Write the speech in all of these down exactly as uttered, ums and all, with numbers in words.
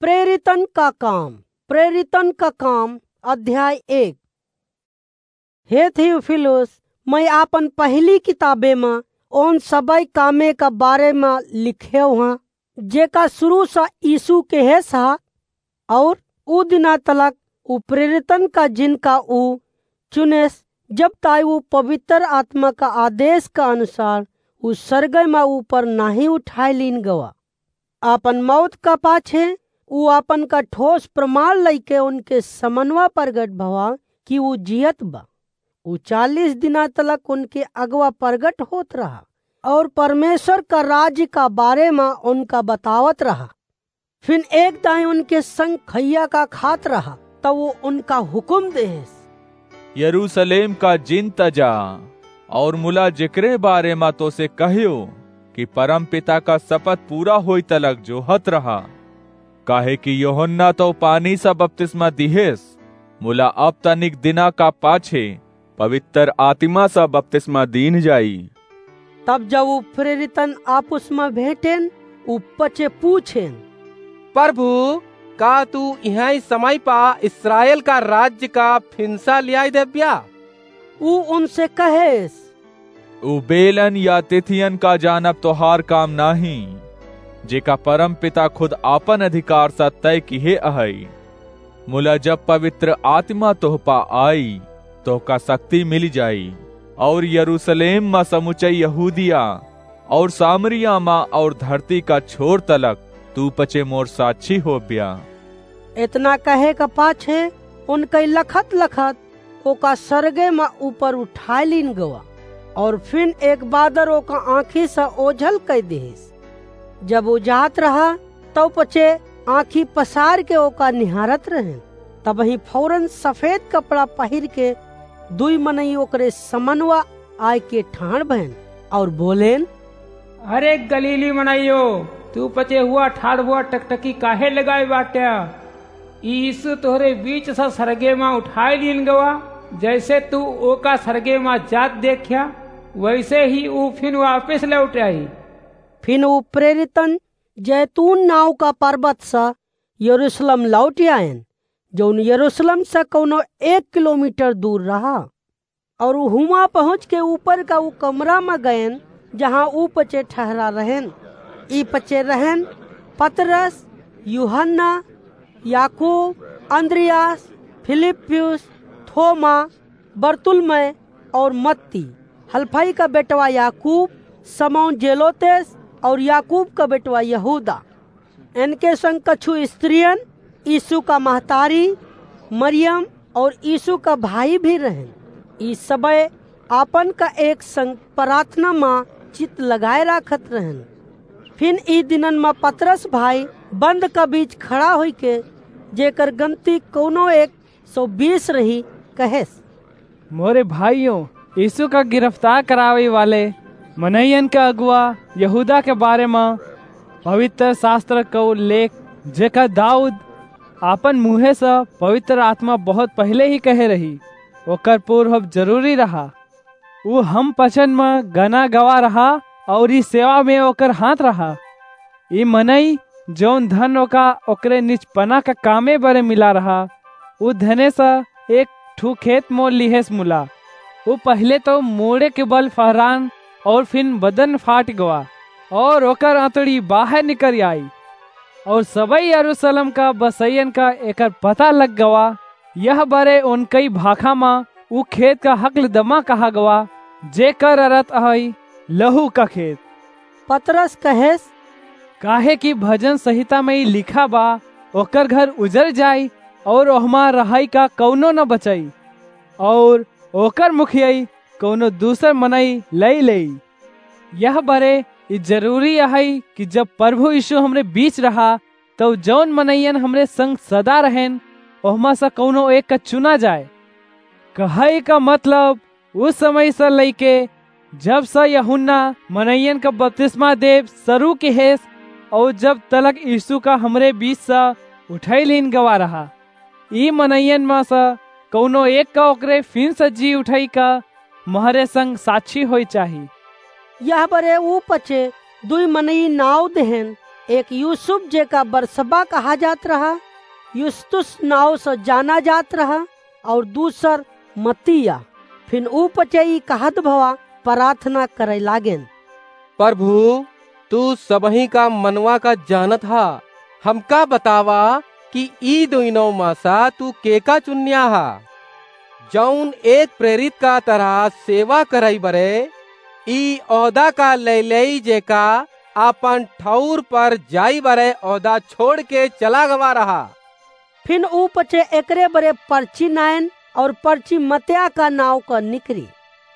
प्रेरितन का काम, प्रेरितन का काम, अध्याय एक। हे थियोफिलुस, मैं आपन पहिली किताबे म ओन सबै कामे का बारे म लिखेव हँ, जेका सुरू स यीसु केहेस ह, और उ दिना तलक उ प्रेरितन का, जिनका उ चुनेस, जब ताई उ पवित्र आत्मा का आदेस का अनुसार उ सरगै म ऊपर नाहीं उठाय लीन गवा। आपन मौत का पाछे उ आपन का ठोस प्रमाण लइके उनके समनवा परगट भवा कि उ जियत बा। उ चालीस दिना तलक उनके अगवा परगट होत रहा और परमेश्वर का राज्य का बारे म उनका बतावत रहा। फिन एक दाईं उनके संग खइया का खात रहा, तब उ उनका हुकुम देहेस, यरूसलेम का जिन त जा, और मुला जेकरे बारे म तोसे कह्यो कि परमपिता का सपत पूरा होई तलक जोहत रहा। काहे कि यूहन्ना तो पानी स बपतिस्मा दिहेस, मुला अब तनिक दिना का पाछे पवित्र आत्मा स बपतिस्मा दीन जाई। तब जब उ प्रेरितन आपुस म भेंटेन, उ पचे पूछेन, प्रभु, का तू इहाँ समय पा इस्राएल का राज्य का फिनसा लियाई देब्या? उ उनसे कहेस, उ बेलन या तिथियन का जानब तोहार काम नाहीं, जेका परमपिता खुद आपन अधिकार स तय किहे अहइ। मुला जब पवित्र आत्मा तोह पा आई, तोहका शक्ति मिलि जाई, और यरूसलेम म समुचई यहूदिया और सामरिया म और धरती का छोर तलक तू पचे मोर साक्षी होब्या। एतना कहे का पाछे उनकई लखत लखत ओका सरगे म ऊपर उठाय लीन गवा, और फिन एक बादर ओका आँखी स ओझल कइ दिहिस। जब उ जात रहा, तउ पचे आँखी पसार के ओका निहारत रहेन। तबहीं फौरन सफेद कपड़ा पहिर के दुई मनई ओकरे समनवा आय के ठाढ़ भएन और बोलेन, अरे गलीली मनइयो, तू पचे हुआ ठाढ़ हुआ टकटकी काहे लगाए बाट्या? ई यीशु तोहरे बीच स सरगे म उठाय लीन गवा, जैसे तू ओका सरगे म जात देख्या, वैसे ही ऊ फिन वापिस लौट आई। फिन ऊ प्रेरितन जैतून नाव का पर्वत स यरूशलेम लौट आएन, जौन यरूशलेम स कौनो एक किलोमीटर दूर रहा। और हुआं पहुँच के ऊपर का ऊ कमरा म गएन, जहाँ ऊ पचे ठहरा रहेन। ई पचे रहेन पतरस, यूहन्ना, याकूब, अन्द्रियास, फिलिप्पुस, थोमा, बरतुल्मै और मत्ती, हलफई का बेटवा याकूब, समौन जेलोतेस और याकूब का बेटवा यहूदा। इनके संग कछु स्त्रियन, यीशु का महतारी मरियम और यीशु का भाई भी रहेन। ई सबे आपन का एक संग प्रार्थना म चित्त लगाए राखत रहेन। फिन ई दिनन म पतरस भाई बंद का बीच खड़ा होइके, जेकर गनती कौनो एक सौ बीस रही, कहेस, मोरे भाइयों, यीशु का गिरफ्तार करावे वाले मनइयन का अगुआ यहूदा के बारे म पवित्र शास्त्र कउ लेख, जेका दाऊद आपन मुँहे स पवित्र आत्मा बहुत पहिले ही कहे रही, ओकर पूर्व जरूरी रहा। ऊ हम पचन म गना गवा रहा और ई सेवा में ओकर हाथ रहा। ई मनई, जौन धन ओका ओकरे निचपना का कामे बरे मिला रहा, ऊ धने स एक ठू खेत मोल लिहेस मुला। ऊ पहिले तो मोड़े के बल फहरान और फिन बदन फाट गवा और ओकर आंतड़ी बाहर निकल आई। और सबई यरूशलेम का बसैयन का एकर पता लग गवा। यह बरे उनकई भाखा म ऊ खेत का हकल दमा कहा गवा, जेकर अरथ अहई लहू का खेत। पतरस कहेस, काहे कि भजन संहिता में ई लिखा बा, ओकर घर उजर जाई और ओहमा रहई का कौनो न बचाई, और ओकर मुखियाई कौनो दूसर मनई लई लेई। यह बरे ई जरूरी अहई कि जब प्रभु यीशु हमरे बीच रहा, तब जौन मनइयन हमरे संग सदा रहेन, ओहमा से कौनो एक का चुना जाए। कहई का मतलब, उस समय से लइके जब से यूहन्ना मनइयन का बपतिस्मा देब शुरू किहेस, और जब तलक यीशु का हमरे बीच से उठाई लीन गवा रहा, ई मनइयन में से कौनो एक का ओकरे फिन से जी उठाई का महरे संग साक्षी होई चाही। यह बरे ऊ पचे दुई मनई नाव देहेन, एक यूसुफ जेका बरसबा कहा जात रहा, युस्तुस नाव से जाना जात रहा, और दूसर मत्तिया। फिन ऊ पचे ई कहत भवा प्रार्थना करे लागेन। प्रभु, तू सबही का मनवा का जानत हा, हमका बतावा कि ई दुइनों मा सा तू केका चुन्या हा, जौन एक प्रेरित का तरह सेवा करई बरे ई ओहदा का लैलई जेका आपन ठौर पर जाई बरे ओहदा छोड़ के चला गवा रहा। फिन ऊ पचे एकरे बरे पर्ची नायन और पर्ची मत्या का नाव का निकरी।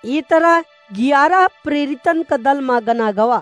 ई तरह ग्यारह प्रेरितन का दल मा गना गवा।